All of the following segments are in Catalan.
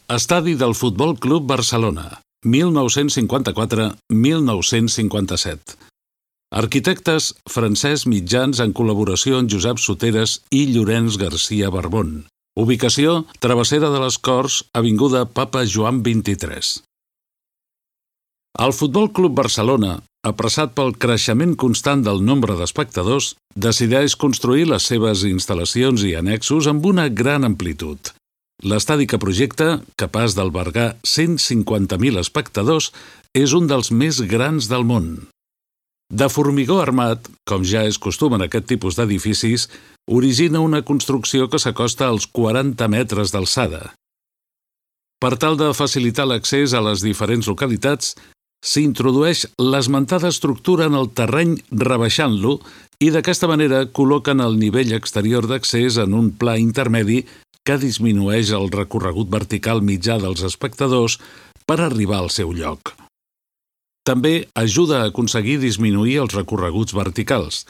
Estadi del Futbol Club Barcelona, 1954-1957. Arquitectes Francesc Mitjans en col·laboració amb Josep Soteres i Llorenç Garcia Barbón. Ubicació: Travessera de les Corts, avinguda Papa Joan 23. El Futbol Club Barcelona, apressat pel creixement constant del nombre d'espectadors, decideix construir les seves instal·lacions i annexos amb una gran amplitud. L'estadi que projecta, capaç d'albergar 150.000 espectadors, és un dels més grans del món. De formigó armat, com ja és costum en aquest tipus d'edificis, origina una construcció que s'acosta als 40 metres d'alçada. Per tal de facilitar l'accés a les diferents localitats, s'introdueix l'esmentada estructura en el terreny rebaixant-lo i d'aquesta manera col·loquen el nivell exterior d'accés en un pla intermedi que disminueix el recorregut vertical mitjà dels espectadors per arribar al seu lloc. També ajuda a aconseguir disminuir els recorreguts verticals,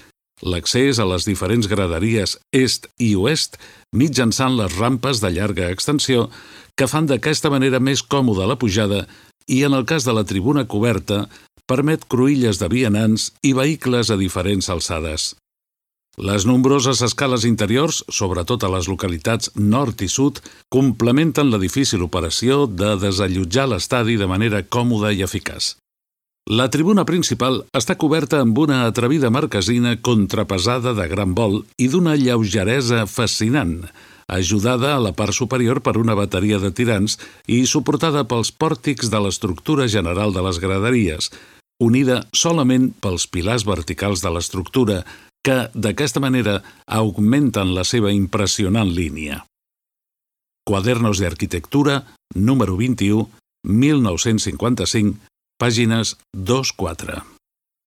l'accés a les diferents graderies est i oest mitjançant les rampes de llarga extensió que fan d'aquesta manera més còmoda la pujada i, en el cas de la tribuna coberta, permet cruïlles de vianants i vehicles a diferents alçades. Les nombroses escales interiors, sobretot a les localitats nord i sud, complementen la difícil operació de desallotjar l'estadi de manera còmoda i eficaç. La tribuna principal està coberta amb una atrevida marquesina contrapesada de gran vol i d'una lleugeresa fascinant, ajudada a la part superior per una bateria de tirants i suportada pels pòrtics de l'estructura general de les graderies, unida solament pels pilars verticals de l'estructura, que, d'aquesta manera, augmenten la seva impressionant línia. Cuadernos de Arquitectura, número 21, 1955, pàgines 2-4.